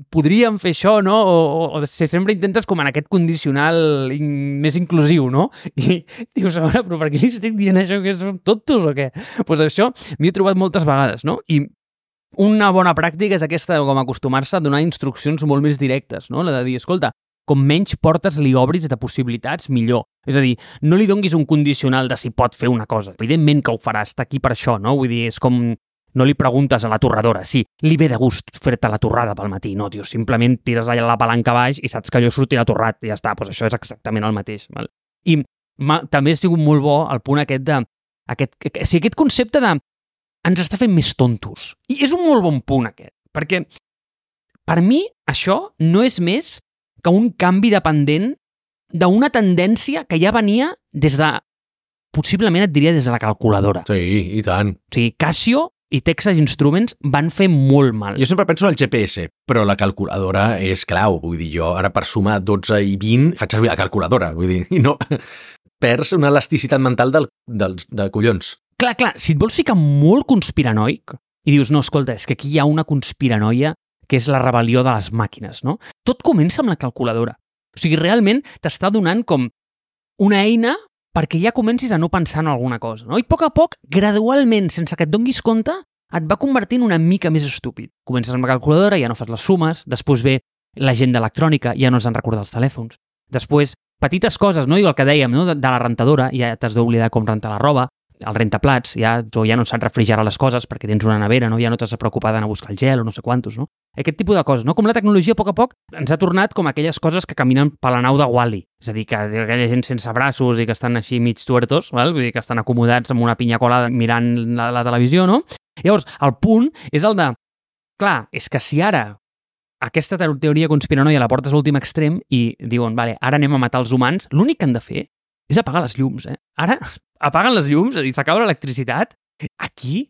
Speaker 1: podríem fer això, no? O, o, o sempre intentes com en aquest condicional in, més inclusiu, no? I dius, a veure, però per què li estic dient això, que som tontos o què? Doncs pues això m'hi he trobat moltes vegades, no? I una bona pràctica és aquesta, com acostumar-se a donar instruccions molt més directes, no? La de dir, escolta, com menys portes li obris de possibilitats, millor. És a dir, no li donguis un condicional de si pot fer una cosa. Evidentment que ho farà, està aquí per això, no? Vull dir, és com... No li preguntes a la torradora, sí, li ve de gust fer-te la torrada pel matí. No, tio, simplement tires allà la palanca baix i saps que allò sortirà torrat i ja està, doncs això és exactament el mateix. Val? I ma, també ha sigut molt bo el punt aquest de... Aquest, o sigui, aquest concepte de... Ens està fent més tontos. I és un molt bon punt aquest, perquè per mi això no és més que un canvi dependent d'una tendència que ja venia des de... Possiblement et diria des de la calculadora.
Speaker 2: Sí, i tant.
Speaker 1: O sigui, Casio i Texas Instruments van fer molt mal.
Speaker 2: Jo sempre penso en el G P S, però la calculadora és clau. Vull dir, jo ara per sumar dotze i vint faig servir la calculadora. Vull dir, i no... Perds una elasticitat mental del, del, de collons.
Speaker 1: Clar, clar, si et vols ficar molt conspiranoic i dius, no, escolta, és que aquí hi ha una conspiranoia que és la rebel·lió de les màquines, no? Tot comença amb la calculadora. O sigui, realment t'està donant com una eina perquè ja comencis a no pensar en alguna cosa, no? I a poc a poc, gradualment, sense que et donguis compte, et va convertint una mica més estúpid. Comences amb la calculadora, ja no fas les sumes, després ve l'agenda electrònica, ja no has de recordar els telèfons. Després, petites coses, no? I el que dèiem, no? De, de la rentadora, ja t'has d'oblidar com rentar la roba, el rentaplats, ja, o ja no saps refrigerar les coses perquè tens una nevera, no? Ja no t'has de preocupar d'anar a buscar el gel o no sé quantos, no? Aquest tipus de coses, no? Com la tecnologia a poc a poc ens ha tornat com aquelles coses que caminen per la nau de Wall-E. És a dir, que aquella gent sense braços i que estan així mig tuertos, val? Vull dir que estan acomodats amb una pinya colada mirant la, la televisió, no? Llavors, el punt és el de... Clar, és que si ara aquesta teoria conspiranoia la portes a l'últim extrem i diuen, vale, ara anem a matar els humans, l'únic que han de fer és apagar les llums, eh? Ara apaguen les llums, és a dir, s'acaba l'electricitat. Aquí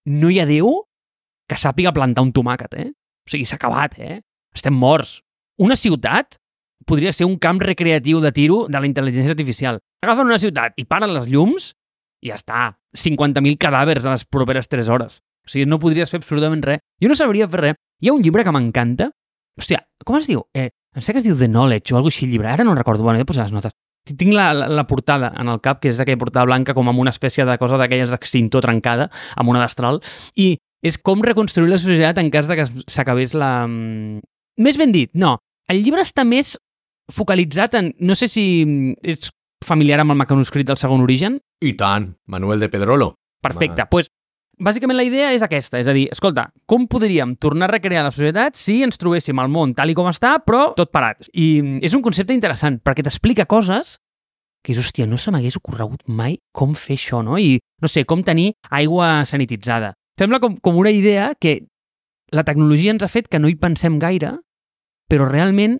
Speaker 1: no hi ha Déu que sàpiga plantar un tomàquet, eh? O sigui, s'ha acabat, eh? Estem morts. Una ciutat podria ser un camp recreatiu de tiro de la intel·ligència artificial. Agafen una ciutat i paren les llums i ja està. cinquanta mil cadàvers a les properes tres hores. O sigui, no podries fer absolutament res. Jo no sabria fer res. Hi ha un llibre que m'encanta. Hòstia, com es diu? Eh, em sé que es diu The Knowledge o alguna cosa així, el llibre. Ara no recordo. Bueno, he de posar les notes. Tinc la, la, la portada en el cap, que és aquella portada blanca com amb una espècie de cosa d'aquelles d'extintor trencada, amb una destral, i és com reconstruir la societat en cas de que s'acabés la... Més ben dit, no. El llibre està més focalitzat en... No sé si ets familiar amb el mecanoscrit del Segon Origen.
Speaker 2: I tant, Manuel de Pedrolo.
Speaker 1: Perfecte, doncs, pues, bàsicament la idea és aquesta, és a dir, escolta, com podríem tornar a recrear la societat si ens trobéssim al món tal i com està, però tot parat? I és un concepte interessant, perquè t'explica coses que és, hòstia, no se m'hagués ocorregut mai com fer això, no? I, no sé, com tenir aigua sanititzada. Sembla com, com una idea que la tecnologia ens ha fet que no hi pensem gaire, però realment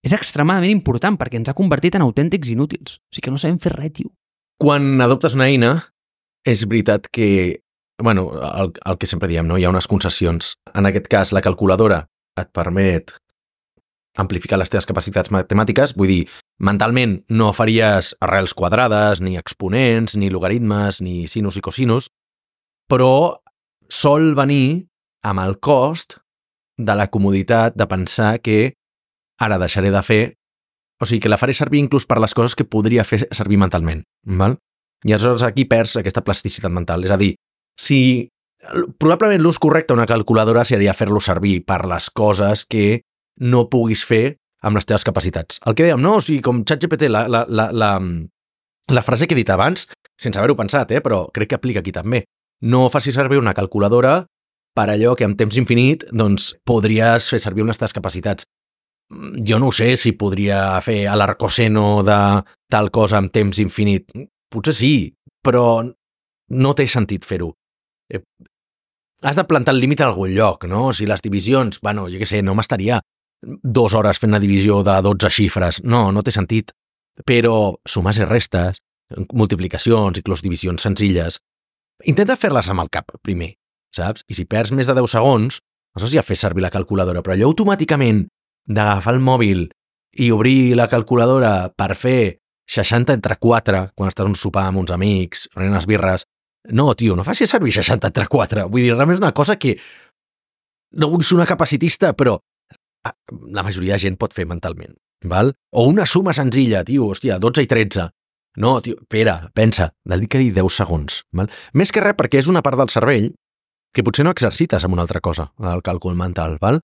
Speaker 1: és extremadament important perquè ens ha convertit en autèntics inútils. O sigui que no sabem fer res, tio.
Speaker 2: Quan adoptes una eina, és veritat que bueno, el, el que sempre diem, no? Hi ha unes concessions. En aquest cas, la calculadora et permet amplificar les teves capacitats matemàtiques, vull dir, mentalment no faries arrels quadrades, ni exponents, ni logaritmes, ni sinus i cosinus, però sol venir amb el cost de la comoditat de pensar que ara deixaré de fer, o sigui, que la faré servir inclús per les coses que podria fer servir mentalment, val? I aleshores aquí perds aquesta plasticitat mental. És a dir, si probablement l'ús correcte d'una calculadora seria fer-lo servir per les coses que no puguis fer amb les teves capacitats. El que dèiem, no? O sigui, com ChatGPT, la, la, la, la, la frase que he dit abans, sense haver-ho pensat, eh? Però crec que aplica aquí també. No facis servir una calculadora per allò que en temps infinit doncs, podries fer servir unes teves capacitats. Jo no sé si podria fer l'arcoseno de tal cosa en temps infinit. Potser sí, però no té sentit fer-ho. Eh, has de plantar el límit a algun lloc, no? Si les divisions, bueno, jo què sé, no m'estaria dues hores fent una divisió de dotze xifres. No, no té sentit. Però sumes i restes, multiplicacions, inclús divisions senzilles, intenta fer-les amb el cap primer, saps? I si perds més de deu segons, aleshores ja fes servir la calculadora, però allò automàticament d'agafar el mòbil i obrir la calculadora per fer seixanta entre quatre quan estàs a un sopar amb uns amics, prenent unes birres, no, tio, no facis servir seixanta entre quatre. Vull dir, realment és una cosa que no vull ser una capacitista, però la majoria de gent pot fer mentalment, val? O una suma senzilla, tio, hòstia, dotze i tretze. No, tio, espera, pensa, dedica-hi deu segons, val? Més que res perquè és una part del cervell que potser no exercites amb una altra cosa, el càlcul mental, val?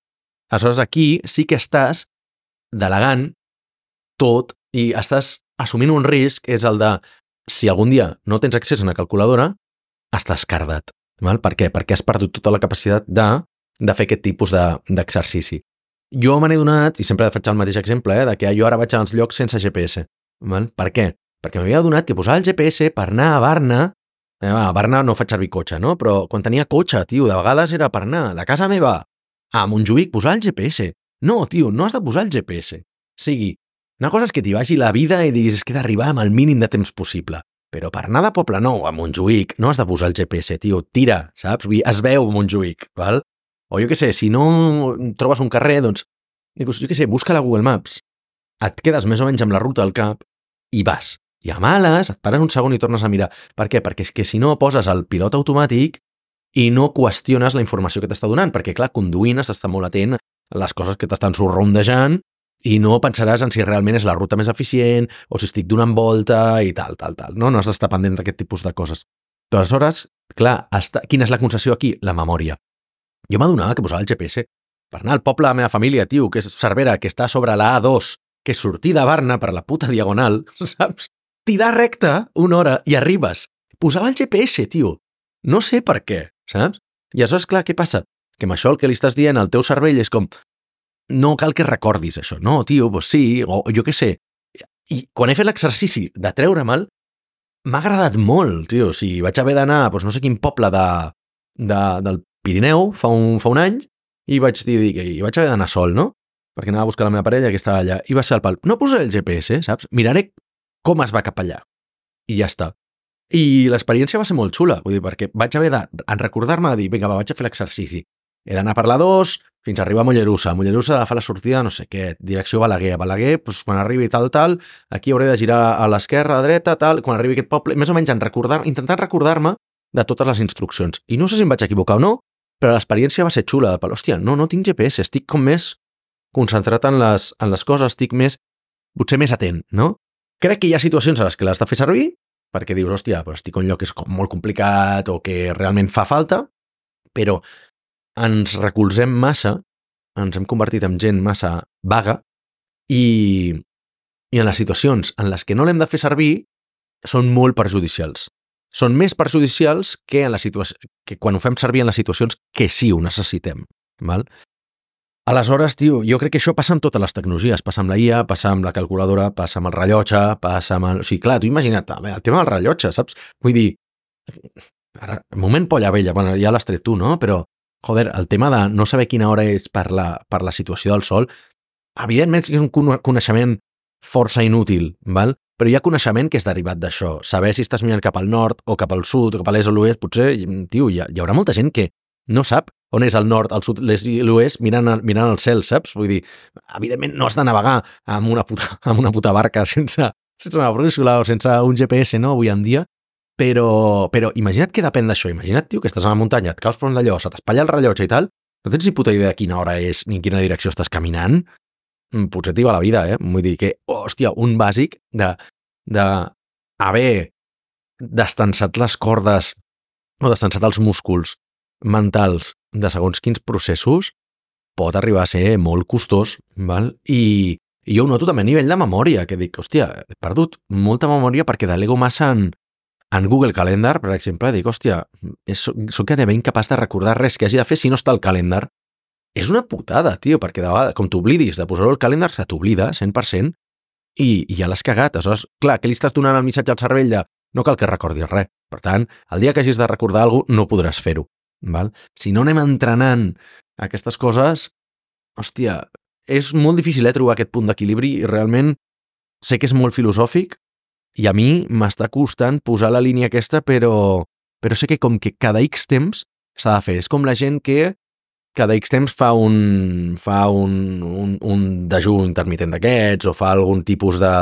Speaker 2: Aleshores, aquí sí que estàs delegant tot i estàs assumint un risc, és el de, si algun dia no tens accés a una calculadora, estàs cardat. Val? Per què? Perquè has perdut tota la capacitat de, de fer aquest tipus d'exercici. De, jo me n'he donat, i sempre faig el mateix exemple, eh, de que jo ara vaig als llocs sense G P S. Val? Per què? Perquè m'havia donat que posar el G P S per anar a Barna, eh, a Barna no faig servir cotxe, no? Però quan tenia cotxe, tio, de vegades era per anar de casa meva a Montjuïc posar el G P S. No, tio, no has de posar el G P S. O sigui, una cosa és que t'hi vagi la vida i diguis que he d'arribar amb el mínim de temps possible. Però per anar de Poblenou a Montjuïc no has de posar el G P S, tio, tira, saps? Vull dir, es veu Montjuïc, val? O jo què sé, si no trobes un carrer, doncs, jo què sé, busca la Google Maps, et quedes més o menys amb la ruta al cap i vas. I a males, et pares un segon i tornes a mirar. Per què? Perquè és que si no poses el pilot automàtic i no qüestiones la informació que t'està donant, perquè clar, conduint has d'estar molt atent a les coses que t'estan sorrondejant i no pensaràs en si realment és la ruta més eficient o si estic donant volta i tal, tal, tal. No, no has d'estar pendent d'aquest tipus de coses. Però aleshores, clar, està... quina és la concessió aquí? La memòria. Jo m'adonava que posava el G P S per anar al poble de la meva família, tio, que és Cervera, que està sobre la A dos, que és sortir de Barna per la puta diagonal, saps? Tirar recte una hora i arribes. Posava el G P S, tio. No sé per què, saps? I aleshores, clar, què passa? Que amb això el que li estàs dient al teu cervell és com no cal que recordis això. No, tio, doncs sí, o jo què sé. I quan he fet l'exercici de treure mal, m'ha agradat molt, tio. O sigui, vaig haver d'anar a doncs no sé quin poble de, de, del Pirineu fa un, fa un any i vaig dir, i vaig haver d'anar sol, no? Perquè anava a buscar la meva parella que estava allà. I va ser el pal. No posaré el G P S, saps? Miraré com es va cap allà. I ja està. I l'experiència va ser molt xula, vull dir, perquè vaig haver de en recordar-me de dir, vinga, va, vaig a fer l'exercici. He d'anar per la dos fins a arribar a Mollerussa. A Mollerussa agafar la sortida, no sé què, direcció Balaguer. A Balaguer, doncs, quan arribi tal, tal, aquí hauré de girar a l'esquerra, a la dreta, tal, quan arribi aquest poble, més o menys en recordar, intentant recordar-me de totes les instruccions. I no sé si em vaig equivocar o no, però l'experiència va ser xula. Però, hòstia, no, no tinc G P S, estic com més concentrat en les, en les coses, estic més, potser més atent, no? Crec que hi ha situacions a les que l'has de fer servir, perquè dius, hòstia, però estic en un lloc que és molt complicat o que realment fa falta, però ens recolzem massa, ens hem convertit en gent massa vaga i, i en les situacions en les que no l'hem de fer servir són molt perjudicials. Són més perjudicials que, en la situació, que quan ho fem servir en les situacions que sí ho necessitem. Val? Aleshores, tio, jo crec que això passa amb totes les tecnologies. Passa amb la I A, passa amb la calculadora, passa amb el rellotge, passa amb el... O sigui, clar, tu imagina't, el tema del rellotge, saps? Vull dir, ara, moment polla vella, bueno, ja l'has tret tu, no? Però, joder, el tema de no saber quina hora és per la, per la situació del sol, evidentment és un coneixement força inútil, val? Però hi ha coneixement que és derivat d'això. Saber si estàs mirant cap al nord o cap al sud o cap a l'est o l'oest, potser, tio, hi, ha, hi haurà molta gent que no sap on és el nord, el sud, l'est i l'oest, mirant, mirant el cel, saps? Vull dir, evidentment no has de navegar amb una puta, amb una puta barca sense, sense una brúixola o sense un G P S, no?, avui en dia, però, però imagina't que depèn d'això. Imagina't, tio, que estàs a la muntanya, et caus per un d'allò, se t'espatlla el rellotge i tal, no tens ni puta idea de quina hora és ni en quina direcció estàs caminant, potser t'hi va la vida, eh? Vull dir que, hòstia, un bàsic de, de haver destensat les cordes o destensat els músculs mentals de segons quins processos pot arribar a ser molt costós, val? I, i jo ho noto també a nivell de memòria, que dic, hòstia, he perdut molta memòria perquè delego massa en, en Google Calendar, per exemple, dic, hòstia, és, soc gairebé incapaç de recordar res que hagi de fer si no està al calendar. És una putada, tio, perquè de vegades, com t'oblidis de posar-ho al calendar, se t'oblida, cent per cent, i, i ja l'has cagat. Aleshores, clar, que li estàs donant el missatge al cervell de no cal que recordis res. Per tant, el dia que hagis de recordar alguna cosa, no podràs fer-ho. Val? Si no anem entrenant aquestes coses, hòstia, és molt difícil eh, trobar aquest punt d'equilibri i realment sé que és molt filosòfic i a mi m'està costant posar la línia aquesta, però, però sé que com que cada X temps s'ha de fer. És com la gent que cada X temps fa un, fa un, un, un dejú intermitent d'aquests o fa algun tipus de,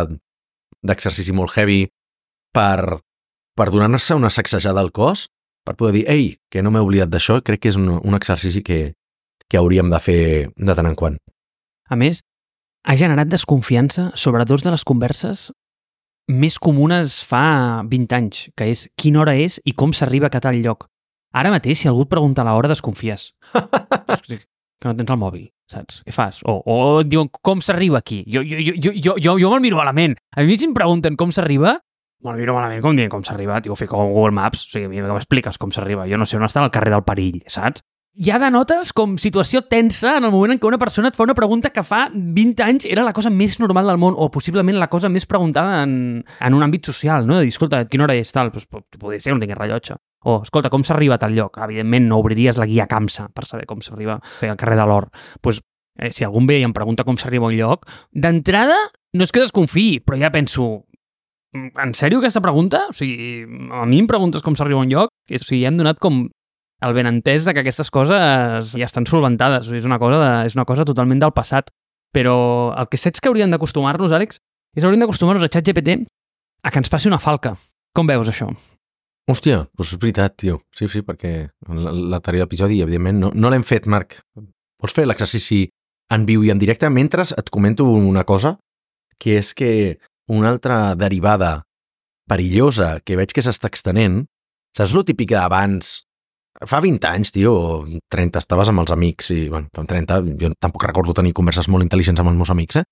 Speaker 2: d'exercici molt heavy per, per donar-se una sacsejada al cos, per poder dir, ei, que no m'he oblidat d'això, crec que és un, un exercici que, que hauríem de fer de tant en quant.
Speaker 1: A més, ha generat desconfiança sobre dos de les converses més comunes fa vint anys, que és quina hora és i com s'arriba a tal lloc. Ara mateix, si algú et pregunta l'hora, desconfies. Que no tens el mòbil, saps? Què fas? O, o et diuen com s'arriba aquí. Jo, jo, jo, jo, jo, jo, jo me'l miro malament. A mi si em pregunten com s'arriba, me'l miro malament com dient com s'arriba. Tio, ho fico a Google Maps, o sigui, a mi m'expliques com s'arriba. Jo no sé on està el carrer del Perill, saps? Ja denotes com situació tensa en el moment en què una persona et fa una pregunta que fa vint anys era la cosa més normal del món o possiblement la cosa més preguntada en, en un àmbit social, no? De dir, escolta, quina hora és tal? Pues, podria ser, no tingués rellotge. O, escolta, com s'arriba a tal lloc? Evidentment no obriries la guia CAMSA per saber com s'arriba al carrer de l'Or. Pues, eh, si algú ve i em pregunta com s'arriba a un lloc, d'entrada no és que desconfiï, però ja penso, en sèrio aquesta pregunta? O sigui, a mi em preguntes com s'arriba a un lloc? O sigui, ja hem donat com el benentès de que aquestes coses ja estan solventades. És una cosa, de, és una cosa totalment del passat. Però el que saps que hauríem d'acostumar-nos, Àlex, és hauríem d'acostumar-nos a ChatGPT a que ens passi una falca. Com veus això?
Speaker 2: Hòstia, doncs és veritat, tio. Sí, sí, perquè l'anterior episodi, evidentment, no, no l'hem fet, Marc. Vols fer l'exercici en viu i en directe? Mentre et comento una cosa, que és que una altra derivada perillosa que veig que s'està extenent, saps lo típic d'abans? Fa vint anys, tio, o trenta, estaves amb els amics i, bueno, fa trenta, jo tampoc recordo tenir converses molt intel·ligents amb els meus amics, eh?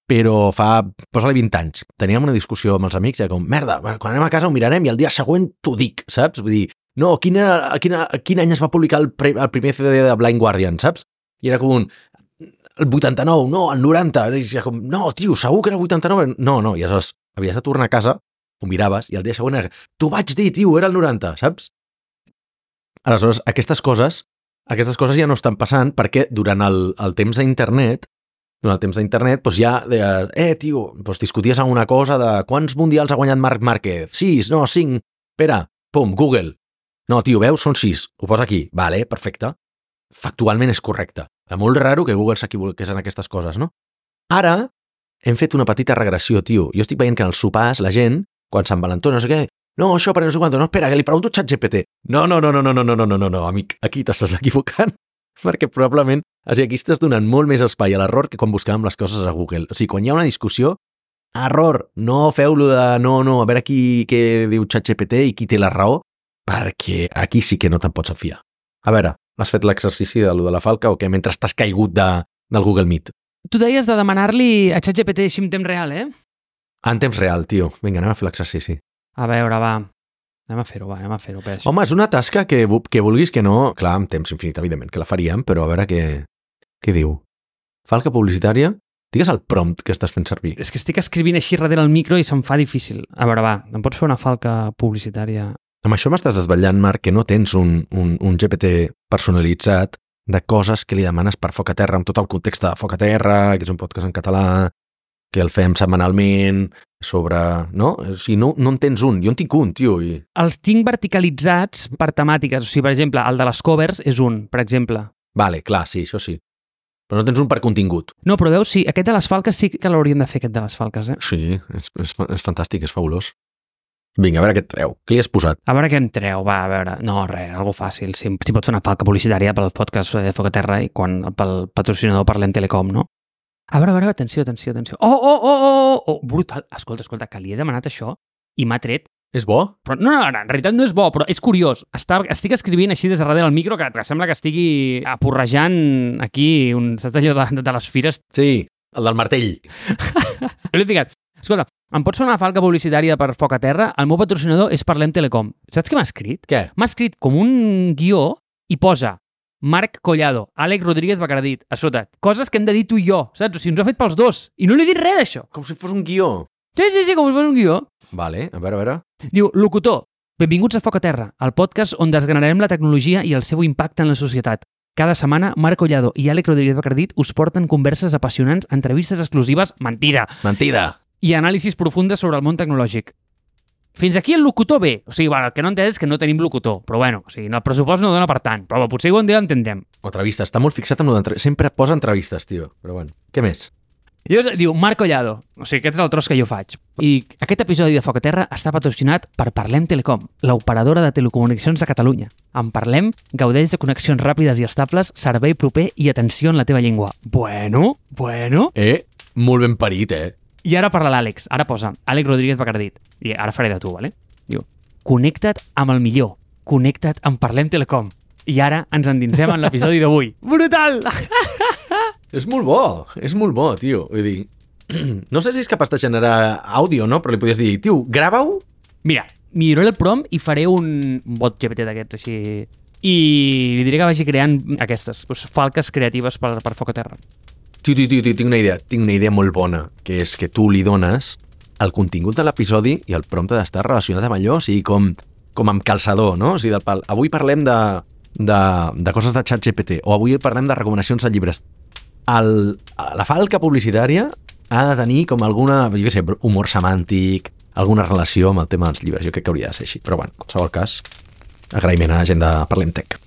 Speaker 2: Però fa, posa-li vint anys, teníem una discussió amb els amics i era com, merda, quan anem a casa ho mirarem i el dia següent t'ho dic, saps? Vull dir, no, quina, quina, quin any es va publicar el, pre, el primer C D de Blind Guardian, saps? I era com un, el vuitanta-nou, no, el noranta, i era com, no, tio, segur que era el vuitanta-nou? No, no, i aleshores havies de tornar a casa, ho miraves i el dia següent era, t'ho vaig dir, tio, era el noranta, saps? Aleshores, aquestes coses, aquestes coses ja no estan passant perquè durant el, el temps d'internet, durant el temps d'internet, doncs ja, eh, tio, doncs discuties alguna cosa de quants mundials ha guanyat Marc Márquez? Sis, no, cinc, espera, pum, Google. No, tio, veus, són sis, ho posa aquí, vale, perfecte. Factualment és correcte. És molt raro que Google s'equivoqués en aquestes coses, no? Ara hem fet una petita regressió, tio. Jo estic veient que en els sopars la gent, quan Sant Valentó, no sé què, no, això per no sé quant, no, espera, que li pregunto a ChatGPT. No, no, no, no, no, no, no, no, no, no, no, amic, aquí t'estàs equivocant, perquè probablement, o sigui, aquí estàs donant molt més espai a l'error que quan buscàvem les coses a Google. O sigui, quan hi ha una discussió, error, no feu-lo de no, no, a veure qui què diu ChatGPT i qui té la raó, perquè aquí sí que no te'n pots fiar. A veure, has fet l'exercici de lo de la falca o què, mentre estàs caigut de, del Google Meet?
Speaker 1: Tu deies de demanar-li a ChatGPT així en temps real, eh?
Speaker 2: En temps real, tio. Vinga, anem a fer l'exercici.
Speaker 1: A veure, va. Anem a fer-ho, va, anem a fer-ho, peix.
Speaker 2: Home, és una tasca que, que vulguis que no... Clar, amb temps infinit, evidentment, que la faríem, però a veure què, què diu. Falca publicitària? Digues el prompt que estàs fent servir.
Speaker 1: És que estic escrivint així darrere el micro i se'm fa difícil. A veure, va, em pots fer una falca publicitària?
Speaker 2: Amb això m'estàs desvetllant, Marc, que no tens un, un, un G P T personalitzat de coses que li demanes per Foc a Terra, amb tot el context de Foc a Terra, que és un podcast en català, que el fem setmanalment sobre... No? O sigui, no, no en tens un. Jo en tinc un, tio. I...
Speaker 1: Els tinc verticalitzats per temàtiques. O sigui, per exemple, el de les covers és un, per exemple.
Speaker 2: Vale, clar, sí, això sí. Però no tens un per contingut.
Speaker 1: No, però veus, sí, aquest de les falques sí que l'hauríem de fer, aquest de les falques, eh?
Speaker 2: Sí, és, és, és fantàstic, és fabulós. Vinga, a veure què et treu. Què hi has posat?
Speaker 1: A veure què em treu, va, a veure... No, res, algo fàcil. Si, si pots fer una falca publicitària pel podcast de Foc a Terra i quan pel patrocinador parlem Telecom, no? A veure, a veure, atenció, atenció, atenció. Oh, oh, oh, oh, oh, brutal. Escolta, escolta, que li he demanat això i m'ha tret.
Speaker 2: És bo?
Speaker 1: Però, no, no, en realitat no és bo, però és curiós. Està, estic escrivint així des de darrere del micro que, que sembla que estigui aporrejant aquí, un, saps allò de, de les fires?
Speaker 2: Sí, el del martell.
Speaker 1: Jo l'he ficat. Escolta, em pots fer una falca publicitària per Foc a Terra? El meu patrocinador és Parlem Telecom. Saps què m'ha escrit?
Speaker 2: Què?
Speaker 1: M'ha escrit com un guió i posa Marc Collado, Àlex Rodríguez Bacardit, a sota. Coses que hem de dir tu i jo, saps? O sigui, ens ho ha fet pels dos. I no li he dit res d'això.
Speaker 2: Com si fos un guió.
Speaker 1: Sí, sí, sí, com si fos un guió.
Speaker 2: Vale, a veure, a veure.
Speaker 1: Diu, locutor, benvinguts a Foc a Terra, el podcast on desgranarem la tecnologia i el seu impacte en la societat. Cada setmana, Marc Collado i Àlex Rodríguez Bacardit us porten converses apassionants, entrevistes exclusives, mentida,
Speaker 2: Mentida.
Speaker 1: i anàlisis profundes sobre el món tecnològic. Fins aquí el locutor bé. O sigui, bueno, el que no entès és que no tenim locutor. Però bueno, o sigui, el pressupost no dona per tant. Però potser un dia l'entendrem.
Speaker 2: O entrevista. Està molt fixat en l'entrevistes. Sempre posa entrevistes, tio. Però bueno, què més?
Speaker 1: I diu, Marc Collado. O sigui, aquest és el tros que jo faig. I aquest episodi de Foc a Terra està patrocinat per Parlem Telecom, l'operadora de telecomunicacions de Catalunya. En Parlem, gaudeix de connexions ràpides i estables, servei proper i atenció en la teva llengua. Bueno, bueno...
Speaker 2: Eh, molt ben parit, eh?
Speaker 1: I ara parla l'Àlex. Ara posa Àlex Rodríguez Bacardit. I ara faré de tu, vale? Diu, connecta't amb el millor. Connecta't amb Parlem Telecom. I ara ens endinsem en l'episodi d'avui. Brutal!
Speaker 2: És molt bo, és molt bo, tio. Vull dir, no sé si és capaç de generar àudio, no? Però li podies dir, tio, grava-ho.
Speaker 1: Mira, milloraré el prompt i faré un bot G P T d'aquests així. I li diré que vagi creant aquestes, doncs, falques creatives per, per Foc a Terra.
Speaker 2: Tio, tio, tio, tio, tinc una idea, tinc una idea molt bona, que és que tu li dones el contingut de l'episodi i el prompte d'estar relacionat amb allò, o sigui, com, com amb calçador, no? O sigui, del pal, avui parlem de, de, de coses de ChatGPT, o avui parlem de recomanacions de llibres. El, la falca publicitària ha de tenir com alguna, jo què sé, humor semàntic, alguna relació amb el tema dels llibres. Jo crec que hauria de ser així, però bueno, en qualsevol cas, agraïment a la gent de Parlem Tech.